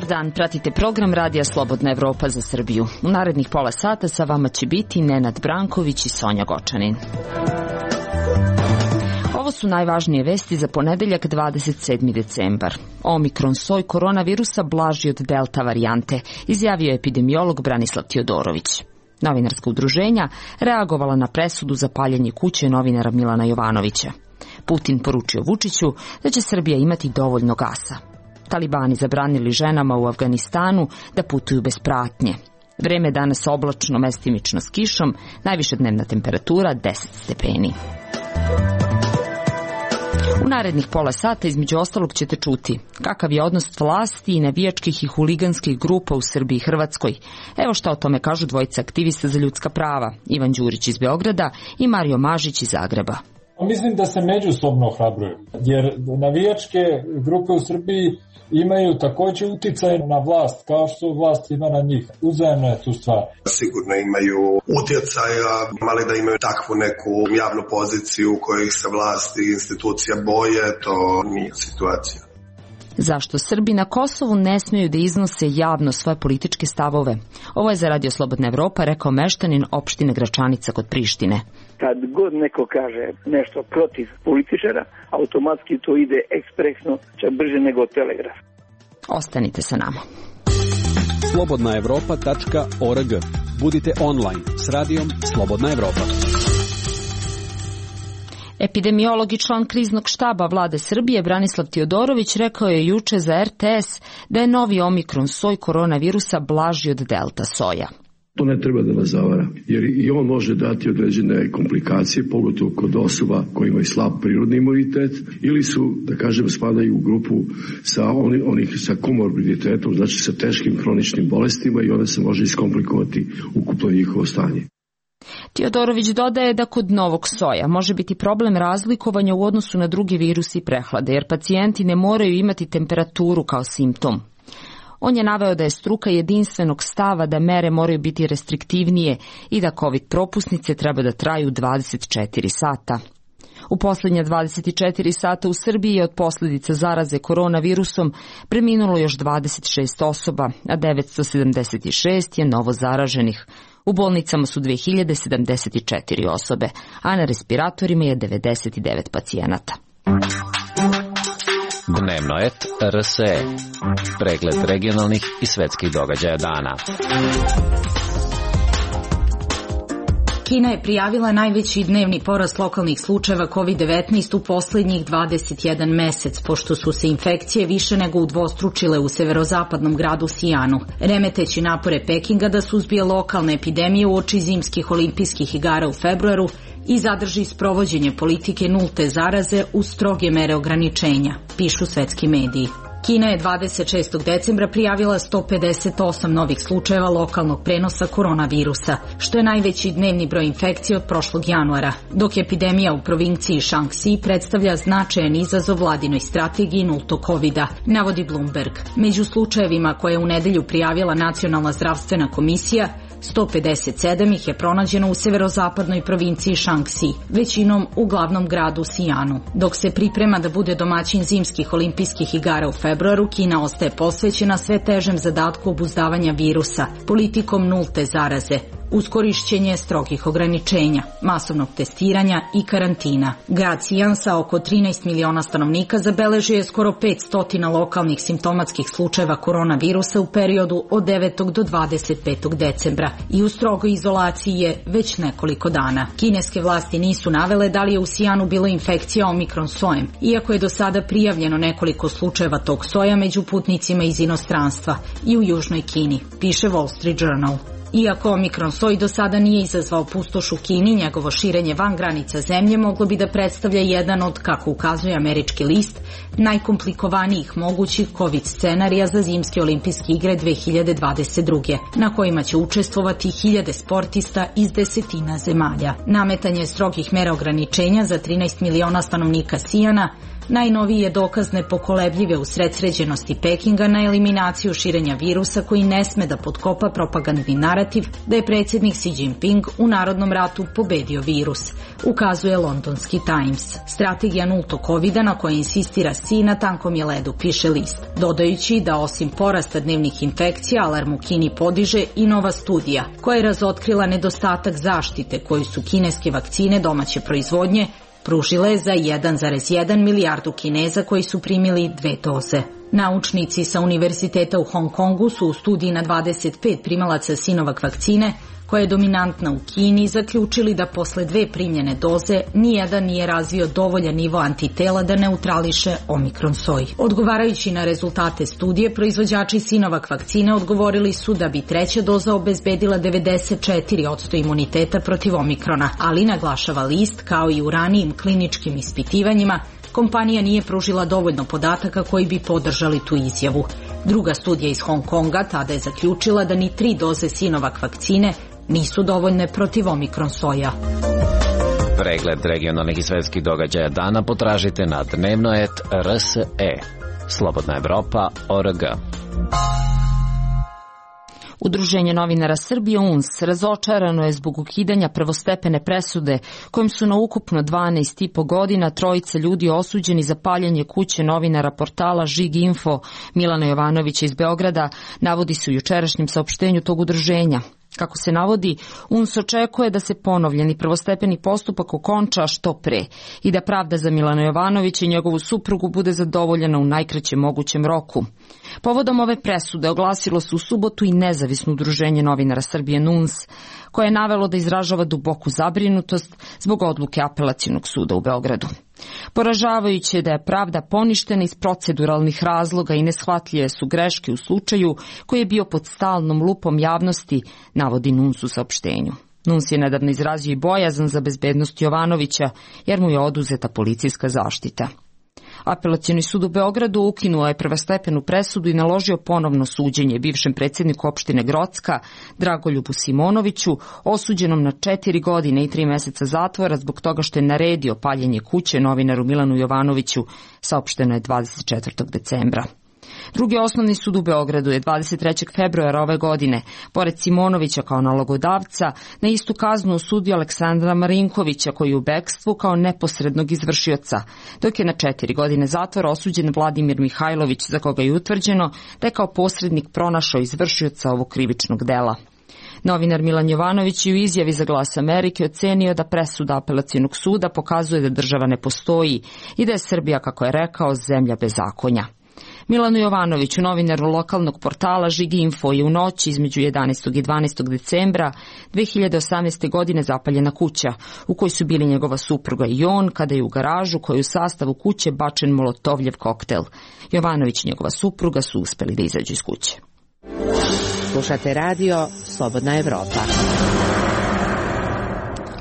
Dobar dan, pratite program Radija Slobodna Evropa za Srbiju. U narednih pola sata sa vama će biti Nenad Branković i Sonja Gočanin. Ovo su najvažnije vesti za ponedeljak 27. decembar. Omikron soj koronavirusa blaži od delta varijante, izjavio je epidemiolog Branislav Tijodorović. Novinarska udruženja reagovala na presudu za paljenje kuće novinara Milana Jovanovića. Putin poručio Vučiću da će Srbija imati dovoljno gasa. Talibani zabranili ženama u Afganistanu da putuju bez pratnje. Vreme je danas oblačno, mestimično s kišom, najviša dnevna temperatura 10 stepeni. U narednih pola sata između ostalog ćete čuti kakav je odnos vlasti i navijačkih i huliganskih grupa u Srbiji i Hrvatskoj. Evo šta o tome kažu dvojica aktivista za ljudska prava, Ivan Đurić iz Beograda i Mario Mažić iz Zagreba. Mislim da se međusobno ohrabruju, jer navijačke grupe u Srbiji imaju također uticaj na vlast, kao što vlast ima na njih. Uzajemno je tu stvar. Sigurno imaju utjecaja, ali da imaju takvu neku javnu poziciju u kojoj se vlast i institucija boje, to nije situacija. Zašto Srbi na Kosovu ne smeju da iznose javno svoje političke stavove? Ovo je za Radio Slobodna Evropa rekao meštanin opštine Gračanica kod Prištine. Kad god neko kaže nešto protiv političara, automatski to ide ekspresno, čak brže nego telegraf. Ostanite sa nama. slobodnaevropa.org. Budite online s radijom Slobodna Evropa. Epidemiolog i član kriznog štaba vlade Srbije Branislav Tijodorović rekao je juče za RTS da je novi omikron soj koronavirusa blaži od delta soja. To ne treba da nas zavara, jer i on može dati određene komplikacije, pogotovo kod osoba koji imaju slab prirodni imunitet ili su, da kažem, spadaju u grupu onih sa komorbiditetom, znači sa teškim hroničnim bolestima i onda se može iskomplikovati ukupno njihovo stanje. Tijodorović dodaje da kod novog soja može biti problem razlikovanja u odnosu na druge virusi i prehlade, jer pacijenti ne moraju imati temperaturu kao simptom. On je naveo da je struka jedinstvenog stava da mere moraju biti restriktivnije i da COVID propusnice treba da traju 24 sata. U posljednja 24 sata u Srbiji je od posljedica zaraze koronavirusom preminulo još 26 osoba, a 976 je novo zaraženih. U bolnicama su 2074 osobe, a na respiratorima je 99 pacijenata. Dnevno et RSE. Pregled regionalnih i svetskih događaja dana. Kina je prijavila najveći dnevni porast lokalnih slučajeva COVID-19 u posljednjih 21 mesec, pošto su se infekcije više nego udvostručile u severozapadnom gradu Sijanu, remeteći napore Pekinga da suzbije lokalne epidemije uoči zimskih olimpijskih igara u februaru i zadrži sprovođenje politike nulte zaraze uz stroge mere ograničenja, pišu svetski mediji. Kina je 26. decembra prijavila 158 novih slučajeva lokalnog prenosa koronavirusa, što je najveći dnevni broj infekcije od prošlog januara, dok epidemija u provinciji Shaanxi predstavlja značajan izazov vladinoj strategiji nultog covida, navodi Bloomberg. Među slučajevima koje je u nedelju prijavila Nacionalna zdravstvena komisija, 157 ih je pronađeno u severozapadnoj provinciji Shaanxi, većinom u glavnom gradu Sijanu. Dok se priprema da bude domaćin zimskih olimpijskih igara u februaru, Kina ostaje posvećena sve težem zadatku obuzdavanja virusa, politikom nulte zaraze, uz korišćenje strogih ograničenja, masovnog testiranja i karantina. Grad Sijan sa oko 13 miliona stanovnika zabeležio je skoro 500 lokalnih simptomatskih slučajeva koronavirusa u periodu od 9. do 25. decembra i u strogoj izolaciji je već nekoliko dana. Kineske vlasti nisu navele da li je u Sijanu bilo infekcija omikron sojem, iako je do sada prijavljeno nekoliko slučajeva tog soja među putnicima iz inostranstva i u južnoj Kini, piše Wall Street Journal. Iako omikron soj do sada nije izazvao pustoš u Kini, njegovo širenje van granica zemlje moglo bi da predstavlja jedan od, kako ukazuje američki list, najkomplikovanijih mogućih COVID scenarija za zimske olimpijske igre 2022. na kojima će učestvovati 1000 sportista iz desetina zemalja. Nametanje strogih mera ograničenja za 13 miliona stanovnika Sijana Najnoviji je dokaz nepokolebljive usredsređenosti Pekinga na eliminaciju širenja virusa koji ne sme da potkopa propagandni narativ da je predsjednik Xi Jinping u narodnom ratu pobedio virus, ukazuje londonski Times. Strategija nultog covida na kojoj insistira Xi na tankom je ledu, piše list, dodajući da osim porasta dnevnih infekcija, alarm u Kini podiže i nova studija koja je razotkrila nedostatak zaštite koju su kineske vakcine domaće proizvodnje pružile za 1,1 milijardu Kineza koji su primili 2 doze. Naučnici sa Univerziteta u Hong Kongu su u studiji na 25 primalaca Sinovac vakcine, koja je dominantna u Kini, zaključili da posle 2 primljene doze nijedan nije razvio dovoljan nivo antitela da neutrališe omikron soj. Odgovarajući na rezultate studije, proizvođači Sinovac vakcine odgovorili su da bi 3. doza obezbedila 94% imuniteta protiv omikrona, ali naglašava list, kao i u ranijim kliničkim ispitivanjima, kompanija nije pružila dovoljno podataka koji bi podržali tu izjavu. Druga studija iz Hong Konga tada je zaključila da ni 3 doze Sinovac vakcine nisu dovoljne protiv omikron soja. Pregled regionalnih i svetskih događaja dana potražite na dnevno.rs.e. Slobodna Evropa.org. Udruženje novinara Srbije UNS razočarano je zbog ukidanja prvostepene presude kojim su na ukupno 12,5 godina 3 ljudi osuđeni za paljenje kuće novinara portala Žig Info Milana Jovanovića iz Beograda, navodi se u jučerašnjem saopštenju tog udruženja. Kako se navodi, UNS očekuje da se ponovljeni prvostepeni postupak okonča što pre i da pravda za Milana Jovanovića i njegovu suprugu bude zadovoljena u najkraćem mogućem roku. Povodom ove presude oglasilo se u subotu i nezavisno udruženje novinara Srbije NUNS, koje je navelo da izražava duboku zabrinutost zbog odluke Apelacionog suda u Beogradu. Poražavajuće je da je pravda poništena iz proceduralnih razloga i neshvatljive su greške u slučaju koji je bio pod stalnom lupom javnosti, navodi NUNS u saopštenju. NUNS je nedavno izrazio i bojazan za bezbednost Jovanovića, jer mu je oduzeta policijska zaštita. Apelacioni sud u Beogradu ukinuo je prvostepenu presudu i naložio ponovno suđenje bivšem predsjedniku opštine Grocka, Dragoljubu Simonoviću, osuđenom na 4 godine i 3 meseca zatvora zbog toga što je naredio paljenje kuće novinaru Milanu Jovanoviću, saopšteno je 24. decembra. Drugi osnovni sud u Beogradu je 23. februara ove godine, pored Simonovića kao nalogodavca, na istu kaznu osudio Aleksandra Marinkovića, koji je u bekstvu kao neposrednog izvršioca, dok je na 4 godine zatvora osuđen Vladimir Mihajlović, za koga je utvrđeno da je kao posrednik pronašao izvršioca ovog krivičnog dela. Novinar Milan Jovanović je u izjavi za Glas Amerike ocenio da presuda Apelacionog suda pokazuje da država ne postoji i da je Srbija, kako je rekao, zemlja bezakonja. Milanu Jovanoviću, novinaru lokalnog portala Žig Info, je u noći između 11. i 12. decembra 2018. godine zapaljena kuća, u kojoj su bili njegova supruga i on, kada je u garažu koju u sastavu kuće bačen molotovljev koktel. Jovanović i njegova supruga su uspeli da izađu iz kuće. Slušate radio Slobodna Evropa.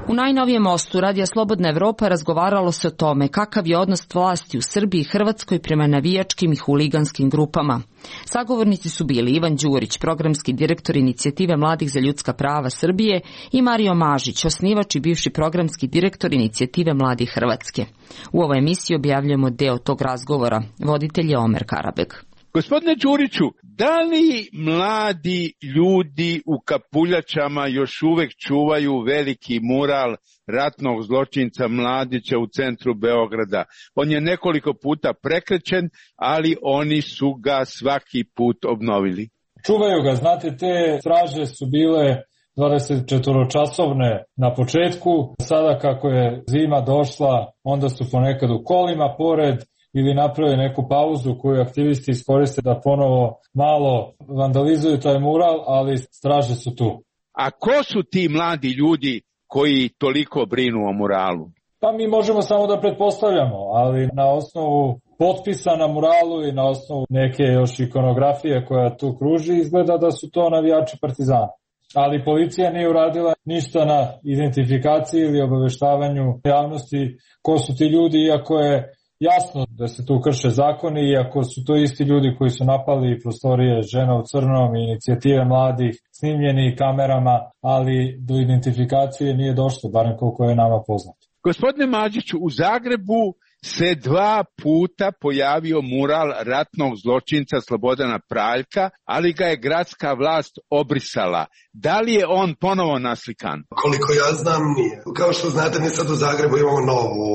U najnovijem mostu Radija Slobodna Evropa razgovaralo se o tome kakav je odnos vlasti u Srbiji i Hrvatskoj prema navijačkim i huliganskim grupama. Sagovornici su bili Ivan Đurić, programski direktor Inicijative mladih za ljudska prava Srbije, i Mario Mažić, osnivač i bivši programski direktor Inicijative mladih Hrvatske. U ovoj emisiji objavljujemo deo tog razgovora. Voditelj je Omer Karabeg. Gospodine Đuriću, da li mladi ljudi u kapuljačama još uvek čuvaju veliki mural ratnog zločinca Mladića u centru Beograda? On je nekoliko puta prekrečen, ali oni su ga svaki put obnovili. Čuvaju ga, znate, te straže su bile 24-časovne na početku. Sada kako je zima došla, onda su ponekad u kolima pored, ili naprave neku pauzu koju aktivisti iskoriste da ponovo malo vandalizuju taj mural, ali straže su tu. A ko su ti mladi ljudi koji toliko brinu o muralu? Pa mi možemo samo da pretpostavljamo, ali na osnovu potpisa na muralu i na osnovu neke još ikonografije koja tu kruži, izgleda da su to navijači Partizana. Ali policija nije uradila ništa na identifikaciji ili obaveštavanju javnosti ko su ti ljudi, iako je jasno da se tu krše zakoni, iako su to isti ljudi koji su napali prostorije Žena u crnom i Inicijative mladih, snimljeni kamerama, ali do identifikacije nije došlo, barem koliko je nama poznato. Gospodine Mađiću, u Zagrebu se 2 puta pojavio mural ratnog zločinca Slobodana Praljka, ali ga je gradska vlast obrisala. Da li je on ponovo naslikan? Koliko ja znam, nije. Kao što znate, mi sad u Zagrebu imamo novu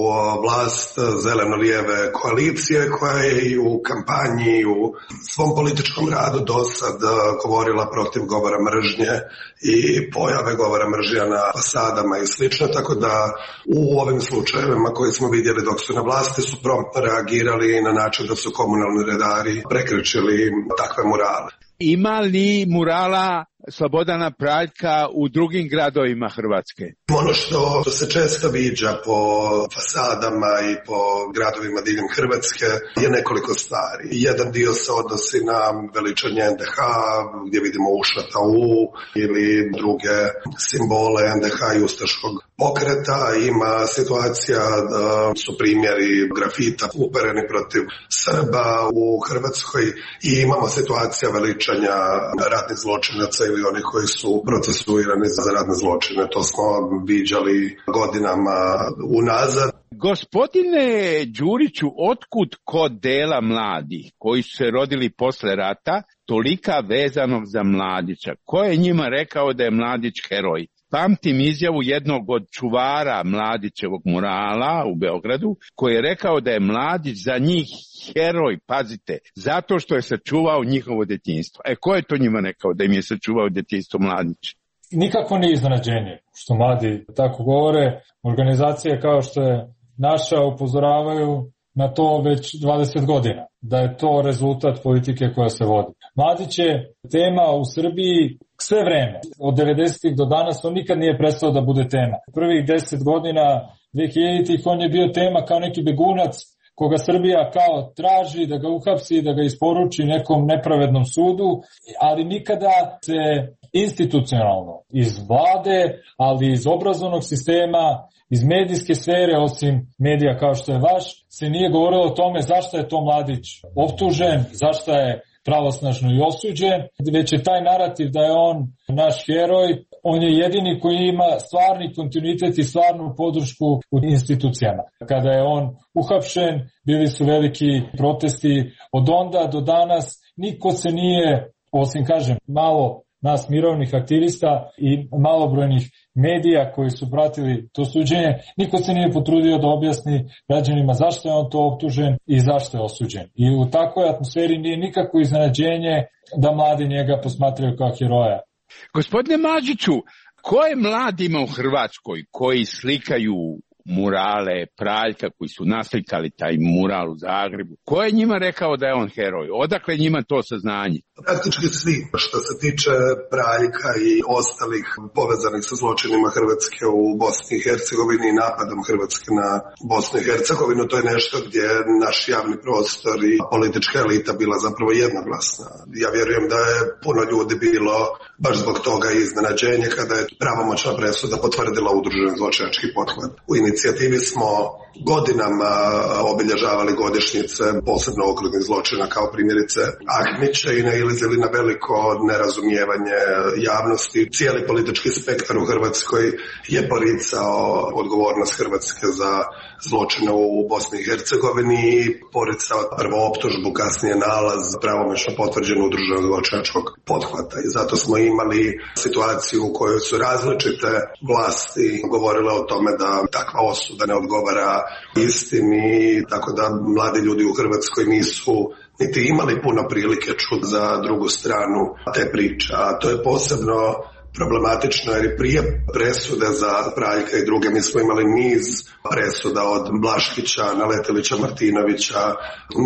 vlast zeleno-lijeve koalicije koja je i u kampanji, u svom političkom radu do sad govorila protiv govora mržnje i pojave govora mržnja na fasadama i slično, tako da u ovim slučajevima koje smo vidjeli dok su na vlasti su promptno reagirali na način da su komunalni redari prekrečili takve murale. Ima li murala Slobodana Praljka u drugim gradovima Hrvatske? Ono što se često viđa po fasadama i po gradovima diljem Hrvatske je nekoliko stvari. Jedan dio se odnosi na veličanje NDH, gdje vidimo ušata U ili druge simbole NDH i ustaškog pokreta. Ima situacija da su primjeri grafita upereni protiv Srba u Hrvatskoj i imamo situacija veličanja ratnih zločinaca ili oni koji su procesuirani za ratne zločine. To smo viđali godinama unazad. Gospodine Đuriću, otkud kod dela mladih koji su se rodili posle rata tolika vezanog za Mladića? Ko je njima rekao da je Mladić heroj? Pamtim izjavu jednog od čuvara Mladićevog murala u Beogradu, koji je rekao da je Mladić za njih heroj, pazite, zato što je sačuvao njihovo detinjstvo. Ko je to njima rekao da im je sačuvao detinjstvo Mladić? Nikako nije iznenađenje što mladi tako govore. Organizacije kao što je naša upozoravaju na to već 20 godina, da je to rezultat politike koja se vodi. Mladić je tema u Srbiji sve vreme. Od 90-ih do danas on nikad nije prestao da bude tema. Prvih 10 godina 2000-ih on je bio tema kao neki begunac koga Srbija kao traži da ga uhapsi, da ga isporuči nekom nepravednom sudu, ali nikada se institucionalno iz vlade, ali iz obrazovnog sistema, iz medijske sfere, osim medija kao što je vaš, se nije govorilo o tome zašto je to Mladić optužen, zašto je pravosnažno i osuđen, već je taj narativ da je on naš heroj, on je jedini koji ima stvarni kontinuitet i stvarnu podršku u institucijama. Kada je on uhapšen, bili su veliki protesti, od onda do danas niko se nije, osim kažem, malo nas mirovnih aktivista i malobrojnih medija koji su pratili to suđenje, niko se nije potrudio da objasni građanima zašto je on to optužen i zašto je osuđen. I u takvoj atmosferi nije nikako iznenađenje da mladi njega posmatraju kao heroja. Gospodine Mađiću, koje mladima u Hrvatskoj koji slikaju murale Praljka, koji su naslikali taj mural u Zagrebu, ko je njima rekao da je on heroj? Odakle njima to saznanje? Praktički svi. Što se tiče Praljka i ostalih povezanih sa zločinima Hrvatske u Bosni i Hercegovini i napadom Hrvatske na Bosnu i Hercegovinu, to je nešto gdje naš javni prostor i politička elita bila zapravo jednoglasna. Ja vjerujem da je puno ljudi bilo baš zbog toga iznenađenje kada je pravomoćna presuda potvrdila udruženi zločinački pothvat. U inicijativi smo godinama obilježavali godišnjice posebno okrutnih zločina kao primjerice Ahmića i nailazili na veliko nerazumijevanje javnosti. Cijeli politički spektar u Hrvatskoj je poricao odgovornost Hrvatske za zločine u Bosni i Hercegovini i poricao prvo optužbu, kasnije nalaz pravomoćno potvrđen udruženog zločinačkog pothvata. I zato smo imali situaciju u kojoj su različite vlasti govorile o tome da takva osuda ne odgovara istini, tako da mladi ljudi u Hrvatskoj nisu niti imali puno prilike čuti za drugu stranu te priče. A to je posebno problematično jer prije presude za Praljka i druge mi smo imali niz presuda od Blaškića, Naletelića, Martinovića,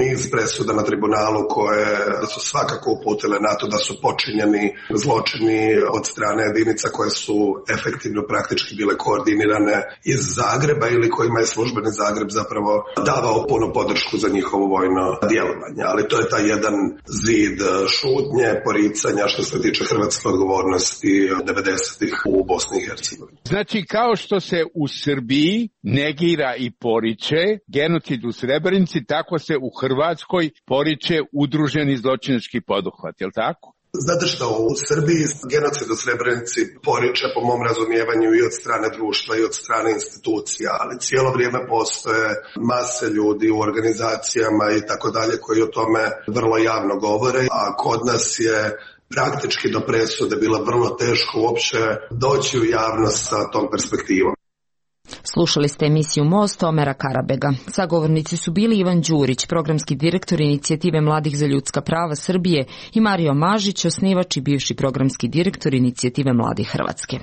niz presuda na tribunalu koje su svakako uputile na to da su počinjeni zločini od strane jedinica koje su efektivno praktički bile koordinirane iz Zagreba ili kojima je službeni Zagreb zapravo davao punu podršku za njihovo vojno djelovanje. Ali to je taj jedan zid šutnje, poricanja što se tiče hrvatske odgovornosti 90-ih u Bosni i Hercegovini. Znači, kao što se u Srbiji negira i poriče genocid u Srebrenici, tako se u Hrvatskoj poriče udruženi zločinački poduhvat, je li tako? Znate što, u Srbiji genocid u Srebrenici poriče po mom razumijevanju i od strane društva i od strane institucija, ali cijelo vrijeme postoje mase ljudi u organizacijama i tako dalje koji o tome vrlo javno govore, a kod nas je praktički do presude bilo vrlo teško uopće doći u javnost sa tom perspektivom. Slušali ste emisiju Most Omera Karabega. Sagovornici su bili Ivan Đurić, programski direktor Inicijative mladih za ljudska prava Srbije, i Mario Mažić, osnivač i bivši programski direktor Inicijative mladih Hrvatske.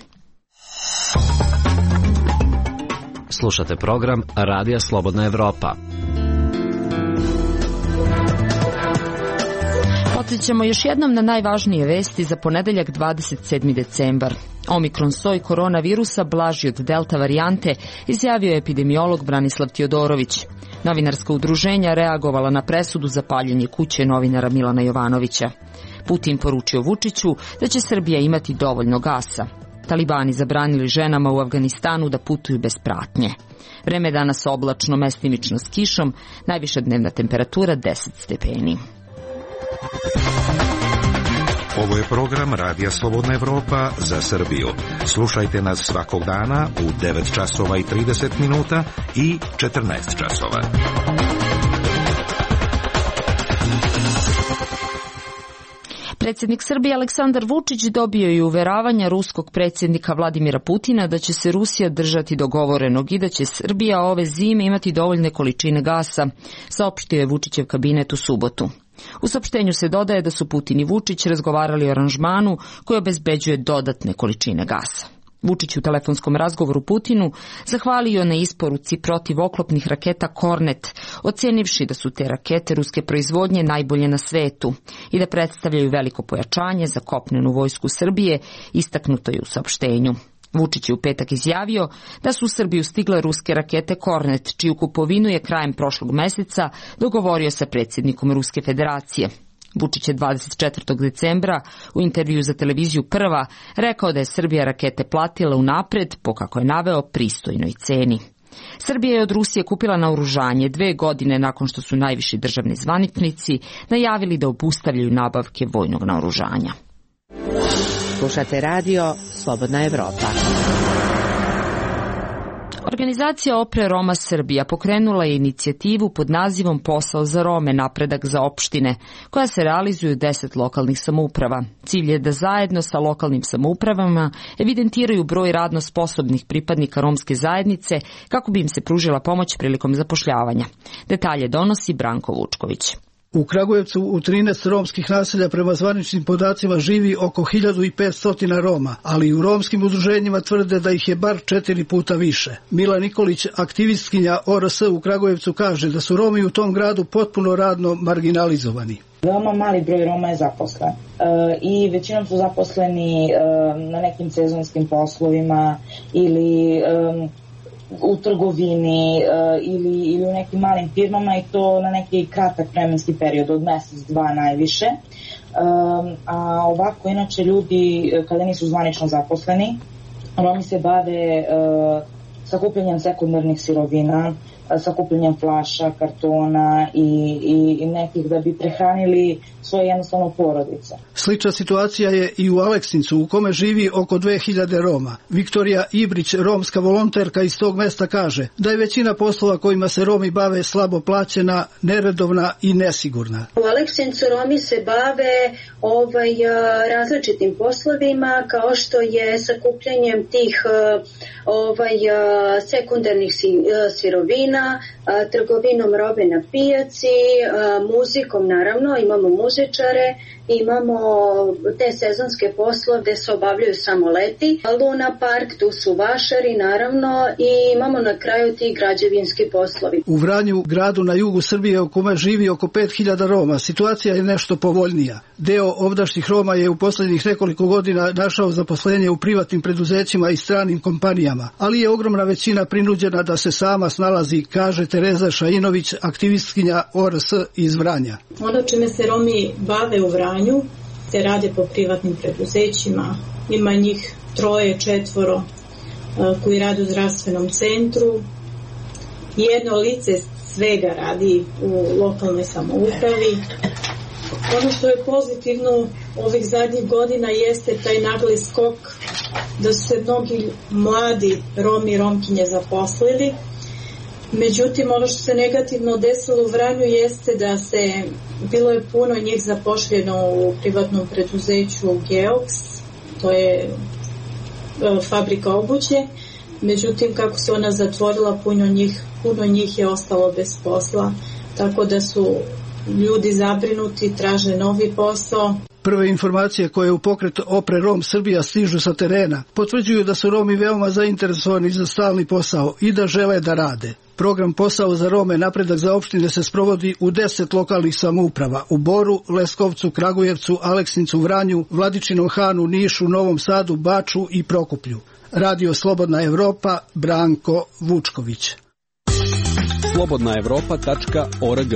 Slušate program Radija Slobodna Evropa. Podsjećamo još jednom na najvažnije vesti za ponedeljak 27. decembar. Omikron soj koronavirusa blaži od delta varijante, izjavio je epidemiolog Branislav Tjodorović. Novinarska udruženja reagovala na presudu za paljenje kuće novinara Milana Jovanovića. Putin poručio Vučiću da će Srbija imati dovoljno gasa. Talibani zabranili ženama u Afganistanu da putuju bez pratnje. Vreme je danas oblačno, mestimično s kišom, najviša dnevna temperatura 10 stepeni. Ovo je program Radija Slobodna Evropa za Srbiju. Slušajte nas svakog dana u 9 časova i 30 minuta i 14 časova. Predsjednik Srbije Aleksandar Vučić dobio je uveravanja ruskog predsjednika Vladimira Putina da će se Rusija držati dogovorenog i da će Srbija ove zime imati dovoljne količine gasa, saopštio je Vučićev kabinet u subotu. U saopštenju se dodaje da su Putin i Vučić razgovarali o aranžmanu koji obezbeđuje dodatne količine gasa. Vučić u telefonskom razgovoru Putinu zahvalio na isporuci protivoklopnih raketa Kornet, ocenivši da su te rakete ruske proizvodnje najbolje na svetu i da predstavljaju veliko pojačanje za kopnenu vojsku Srbije, istaknuto je u saopštenju. Vučić je u petak izjavio da su u Srbiju stigle ruske rakete Kornet, čiju kupovinu je krajem prošlog meseca dogovorio sa predsjednikom Ruske federacije. Vučić je 24. decembra u intervju za televiziju Prva rekao da je Srbija rakete platila unapred po, kako je naveo, pristojnoj ceni. Srbija je od Rusije kupila naoružanje 2 godine nakon što su najviši državni zvaničnici najavili da obustavljaju nabavke vojnog naoružanja. Slušate radio Slobodna Evropa. Organizacija Opre Roma Srbija pokrenula je inicijativu pod nazivom Posao za Rome, napredak za opštine, koja se realizuje u 10 lokalnih samouprava. Cilj je da zajedno sa lokalnim samoupravama evidentiraju broj radno sposobnih pripadnika romske zajednice kako bi im se pružila pomoć prilikom zapošljavanja. Detalje donosi Branko Vučković. U Kragujevcu u 13 romskih naselja prema zvaničnim podacima živi oko 1500 Roma, ali i u romskim udruženjima tvrde da ih je bar 4 puta više. Mila Nikolić, aktivistkinja ORS u Kragujevcu, kaže da su Romi u tom gradu potpuno radno marginalizovani. Veoma mali broj Roma je zaposlen i većinom su zaposleni na nekim sezonskim poslovima ili u trgovini ili u nekim malim firmama, i to na neki kratak vremenski period od mjesec, 2 najviše. A ovako, inače, ljudi kada nisu zvanično zaposleni, Romi se bave sakupljanjem sekundarnih sirovina, sakupljanjem flaša, kartona i nekih da bi prehranili svoje jednostavno porodice. Slična situacija je i u Aleksincu, u kome živi oko 2000 Roma. Viktorija Ibrić, romska volonterka iz tog mesta, kaže da je većina poslova kojima se Romi bave slabo plaćena, neredovna i nesigurna. U Aleksincu Romi se bave različitim poslovima, kao što je sakupljanjem tih sekundarnih sirovina, trgovinom robe na pijaci, muzikom, naravno, imamo muzičare, imamo te sezonske poslove gde se obavljaju samo leti, Luna Park, tu su vašari, naravno, i imamo na kraju ti građevinski poslovi. U Vranju, gradu na jugu Srbije u kome živi oko 5000 Roma, situacija je nešto povoljnija. Deo ovdašnjih Roma je u posljednjih nekoliko godina našao zaposlenje u privatnim preduzećima i stranim kompanijama, ali je ogromna većina prinuđena da se sama snalazi, kaže Tereza Šajinović, aktivistkinja ORS iz Vranja. Ono čime se Romi bave u Vranju se rade po privatnim preduzećima, ima njih 3-4 koji rade u zdravstvenom centru, jedno lice svega radi u lokalnoj samoupravi, Ono što je pozitivno ovih zadnjih godina jeste taj nagli skok da su se mnogi mladi Romi i Romkinje zaposlili. Međutim, ono što se negativno desilo u Vranju jeste da bilo je puno njih zapošljeno u privatnom preduzeću Geox, to je fabrika obuće. Međutim, kako se ona zatvorila, puno njih je ostalo bez posla, tako da su ljudi zabrinuti, traže novi posao. Prve informacije koje u pokret Opre Rom Srbija stižu sa terena potvrđuju da su Romi veoma zainteresovani za stalni posao i da žele da rade. Program Posao za Rome Napredak za opštine se sprovodi u 10 lokalnih samouprava: u Boru, Leskovcu, Kragujevcu, Aleksincu, Vranju, Vladičinom Hanu, Nišu, Novom Sadu, Baču i Prokuplju. Radio Slobodna Evropa, Branko Vučković. slobodnaevropa.org.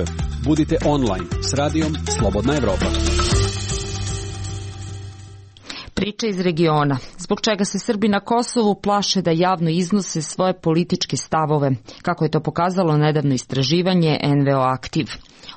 Budite online s radijom Slobodna Evropa. Priča iz regiona. Zbog čega se Srbi na Kosovu plaše da javno iznose svoje političke stavove, kako je to pokazalo nedavno istraživanje NVO Aktiv.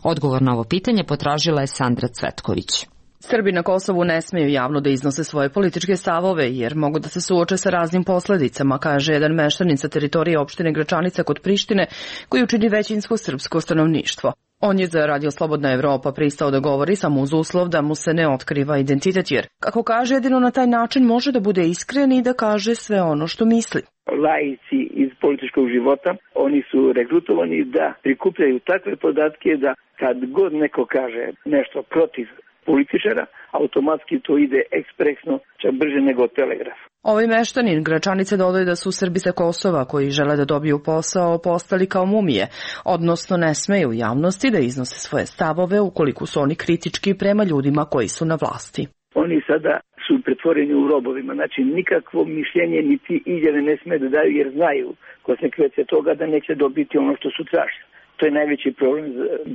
Odgovor na ovo pitanje potražila je Sandra Cvetković. Srbi na Kosovu ne smeju javno da iznose svoje političke stavove, jer mogu da se suoče sa raznim posledicama, kaže jedan meštanin sa teritorije opštine Gračanica kod Prištine, koji učini većinsko srpsko stanovništvo. On je za Radio Slobodna Evropa pristao da govori samo uz uslov da mu se ne otkriva identitet, jer, kako kaže, jedino na taj način može da bude iskren i da kaže sve ono što misli. Laici iz političkog života, oni su regrutovani da prikupljaju takve podatke da kad god neko kaže nešto protiv političara, automatski to ide ekspresno, čak brže nego telegraf. Ovaj meštanin Gračanice dodaje da su Srbi sa Kosova koji žele da dobiju posao postali kao mumije, odnosno ne smeju u javnosti da iznose svoje stavove ukoliko su oni kritički prema ljudima koji su na vlasti. Oni sada su pretvoreni u robovima, znači nikakvo mišljenje niti izjave ne sme da daju jer znaju konsekvence toga da neće dobiti ono što su tražili. To je najveći problem,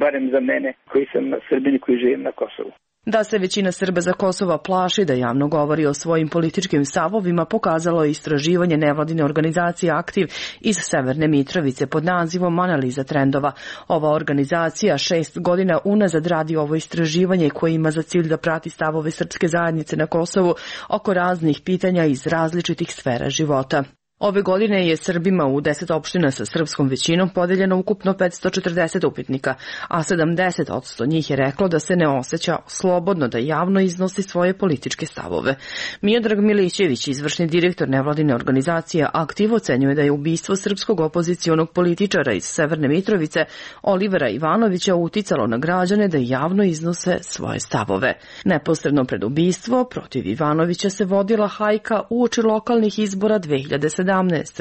barem za mene koji sam Srbin i koji živim na Kosovu. Da se većina Srba za Kosova plaši da javno govori o svojim političkim stavovima pokazalo je istraživanje nevladine organizacije Aktiv iz Severne Mitrovice pod nazivom Analiza trendova. Ova organizacija 6 godina unazad radi ovo istraživanje koje ima za cilj da prati stavove srpske zajednice na Kosovu oko raznih pitanja iz različitih sfera života. Ove godine je Srbima u 10 opština sa srpskom većinom podeljeno ukupno 540 upitnika, a 70% njih je reklo da se ne osjeća slobodno da javno iznosi svoje političke stavove. Miodrag Milićević, izvršni direktor nevladine organizacije Aktiv, ocenjuje da je ubistvo srpskog opozicionog političara iz Severne Mitrovice, Olivera Ivanovića, uticalo na građane da javno iznose svoje stavove. Neposredno pred ubistvo protiv Ivanovića se vodila hajka uoči lokalnih izbora 2017.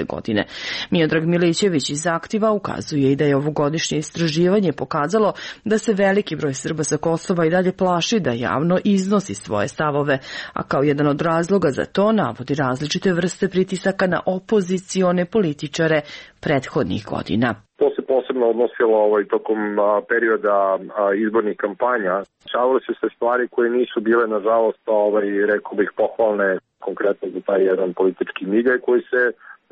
godine. Miodrag Milićević iz Aktiva ukazuje i da je ovogodišnje istraživanje pokazalo da se veliki broj Srba sa Kosova i dalje plaši da javno iznosi svoje stavove, a kao jedan od razloga za to navodi različite vrste pritisaka na opozicione političare prethodnih godina. To se posebno odnosilo tokom perioda izbornih kampanja. Dešavale su se stvari koje nisu bile, nažalost, rekao bih, pohvalne, konkretno za taj jedan politički milje koji se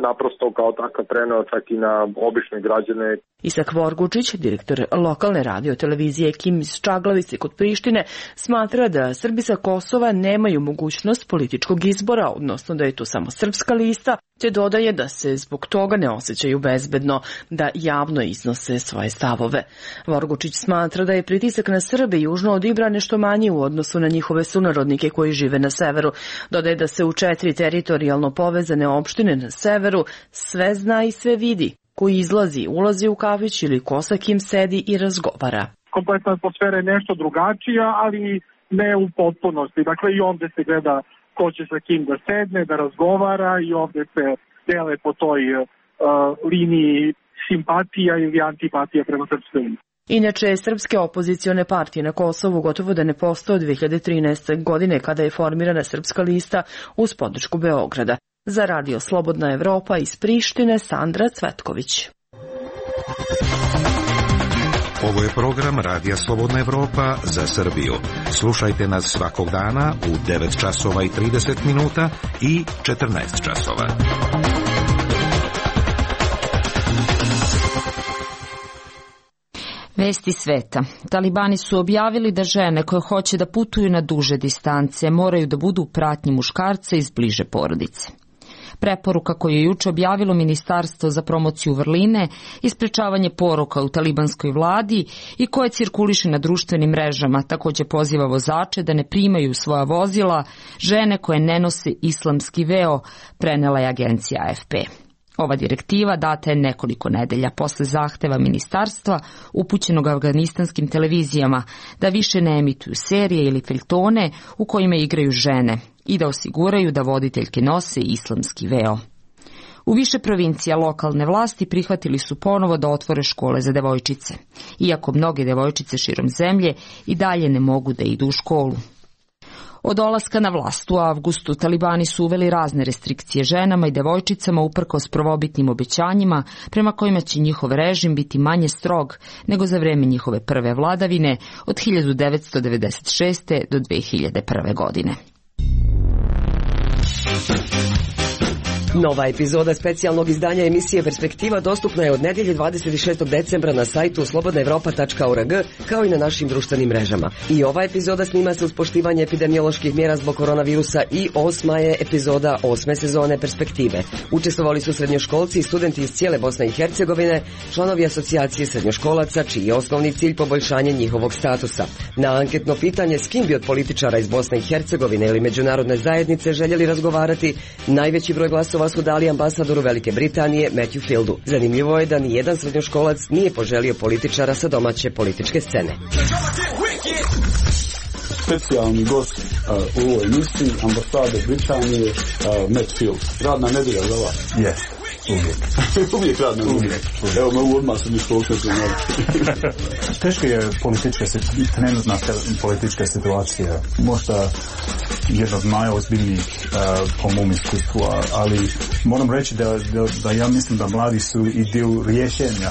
naprosto kao takav preneo čak i na obične građane. Isak Vorgučić, direktor lokalne radio-televizije Kim iz Čaglavice kod Prištine, smatra da Srbi sa Kosova nemaju mogućnost političkog izbora, odnosno da je to samo srpska lista, te dodaje da se zbog toga ne osjećaju bezbedno da javno iznose svoje stavove. Vorgučić smatra da je pritisak na Srbe južno od Ibra nešto manji u odnosu na njihove sunarodnike koji žive na severu. Dodaje da se u 4 teritorijalno povezane opštine na severu sve zna i sve vidi. Koji ulazi u kafić ili ko sa kim sedi i razgovara. Kompletna atmosfera je nešto drugačija, ali ne u potpunosti. Dakle, i ovde se gleda ko će sa kim da sedne, da razgovara i ovde se dele po toj liniji simpatija ili antipatija prema srpskoj liniji. Inače, srpske opozicione partije na Kosovu gotovo da ne postoje od 2013. godine kada je formirana srpska lista uz podršku Beograda. Za Radio Slobodna Evropa iz Prištine, Sandra Cvetković. Ovo je program Radija Slobodna Evropa za Srbiju. Slušajte nas svakog dana u 9 časova i 30 minuta i 14 časova. Vesti sveta. Talibani su objavili da žene koje hoće da putuju na duže distance moraju da budu u pratnji muškarca iz bliže porodice. Preporuka koju je juče objavilo Ministarstvo za promociju vrline i sprečavanje poroka u talibanskoj vladi i koje cirkuliše na društvenim mrežama takođe poziva vozače da ne primaju svoja vozila žene koje ne nose islamski veo, prenela je agencija AFP. Ova direktiva data je nekoliko nedelja posle zahteva ministarstva upućenog afganistanskim televizijama da više ne emituju serije ili feljtone u kojima igraju žene i da osiguraju da voditeljke nose islamski veo. U više provincija lokalne vlasti prihvatili su ponovo da otvore škole za devojčice, iako mnoge devojčice širom zemlje i dalje ne mogu da idu u školu. Od dolaska na vlast u avgustu talibani su uveli razne restrikcije ženama i devojčicama uprkos prvobitnim obećanjima prema kojima će njihov režim biti manje strog nego za vreme njihove prve vladavine od 1996. do 2001. godine. Nova epizoda specijalnog izdanja emisije Perspektiva dostupna je od nedelje 26. decembra na sajtu slobodnaevropa.org kao i na našim društvenim mrežama. I ova epizoda snima se uz poštivanje epidemioloških mjera zbog koronavirusa i 8. je epizoda 8. sezone Perspektive. Učestvovali su srednjoškolci i studenti iz cijele Bosne i Hercegovine, članovi asocijacije srednjoškolaca, čiji je osnovni cilj poboljšanje njihovog statusa. Na anketno pitanje s kim bi od političara iz Bosne i Hercegovine ili međunarodne zajednice željeli razgovarati, najveći broj glasova su dali ambasadoru Velike Britanije Matthew Fieldu. Zanimljivo je da ni jedan srednjoškolac nije poželio političara sa domaće političke scene. Specijalni gost u ovoj emisiji, ambasador Britanije Matt Field. Radna nedelja za vas? Jeste. Uvijek radna nedelja. Evo me odmah sam iskoknuo. Teška je trenutna politička situacija. Možda jedna od najozbiljnijih po mom iskustvu, ali moram reći da ja mislim da mladi su i dio rješenja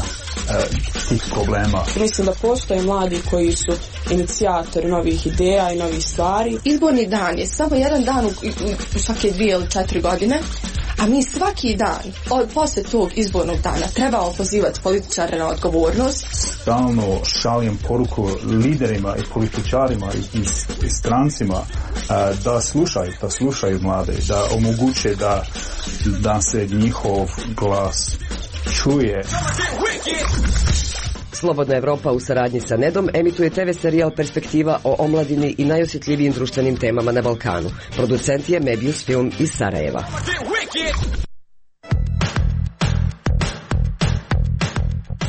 tih problema. Mislim da postoje mladi koji su inicijatori novih ideja i novih stvari. Izborni dan je samo jedan dan u svake 2 ili 4 godine, a mi svaki dan posle tog izbornog dana trebamo pozivati političare na odgovornost. Stalno šaljem poruku liderima i političarima i strancima da slušaju mlade, da omoguće da se njihov glas čuje. Slobodna Evropa u saradnji sa Nedom emituje TV serijal Perspektiva o omladini i najosjetljivijim društvenim temama na Balkanu. Producent je Mebius Film iz Sarajeva.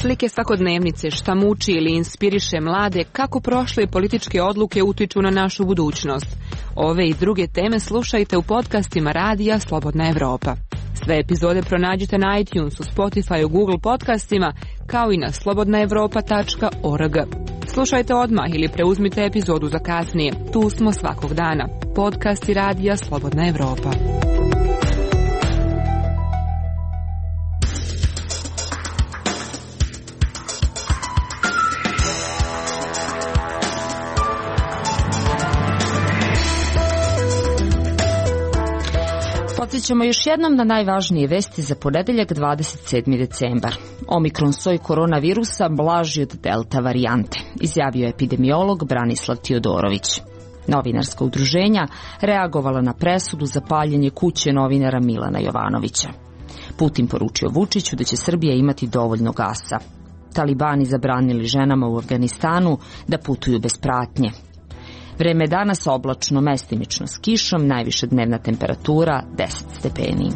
Slike svakodnevnice, šta muči ili inspiriše mlade, kako prošle političke odluke utiču na našu budućnost. Ove i druge teme slušajte u podcastima Radija Slobodna Evropa. Sve epizode pronađite na iTunesu, Spotify, Google podcastima, kao i na slobodnaevropa.org. Slušajte odmah ili preuzmite epizodu za kasnije. Tu smo svakog dana. Podcasti Radija Slobodna Evropa. Podsjećamo još jednom na najvažnije vesti za ponedeljak 27. decembar. Omikron soj koronavirusa blaži od delta varijante, izjavio je epidemiolog Branislav Tiodorović. Novinarska udruženja reagovala na presudu za paljenje kuće novinara Milana Jovanovića. Putin poručio Vučiću da će Srbija imati dovoljno gasa. Talibani zabranili ženama u Afganistanu da putuju bez pratnje. Vreme je danas oblačno, mestimično s kišom, najviša dnevna temperatura 10 stepeni.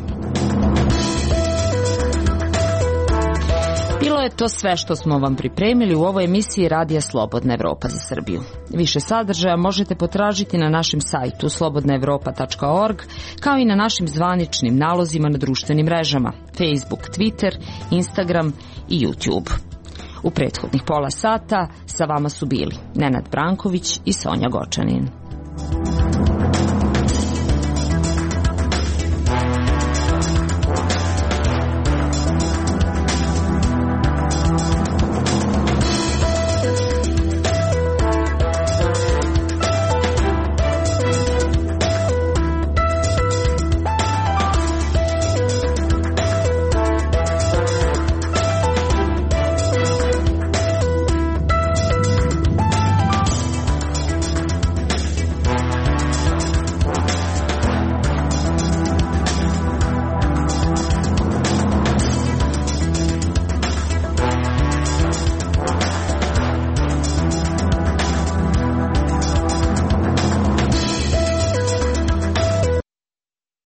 Bilo je to sve što smo vam pripremili u ovoj emisiji Radija Slobodna Evropa za Srbiju. Više sadržaja možete potražiti na našem sajtu slobodnaevropa.org, kao i na našim zvaničnim nalozima na društvenim mrežama Facebook, Twitter, Instagram i YouTube. U prethodnih pola sata sa vama su bili Nenad Branković i Sonja Gočanin.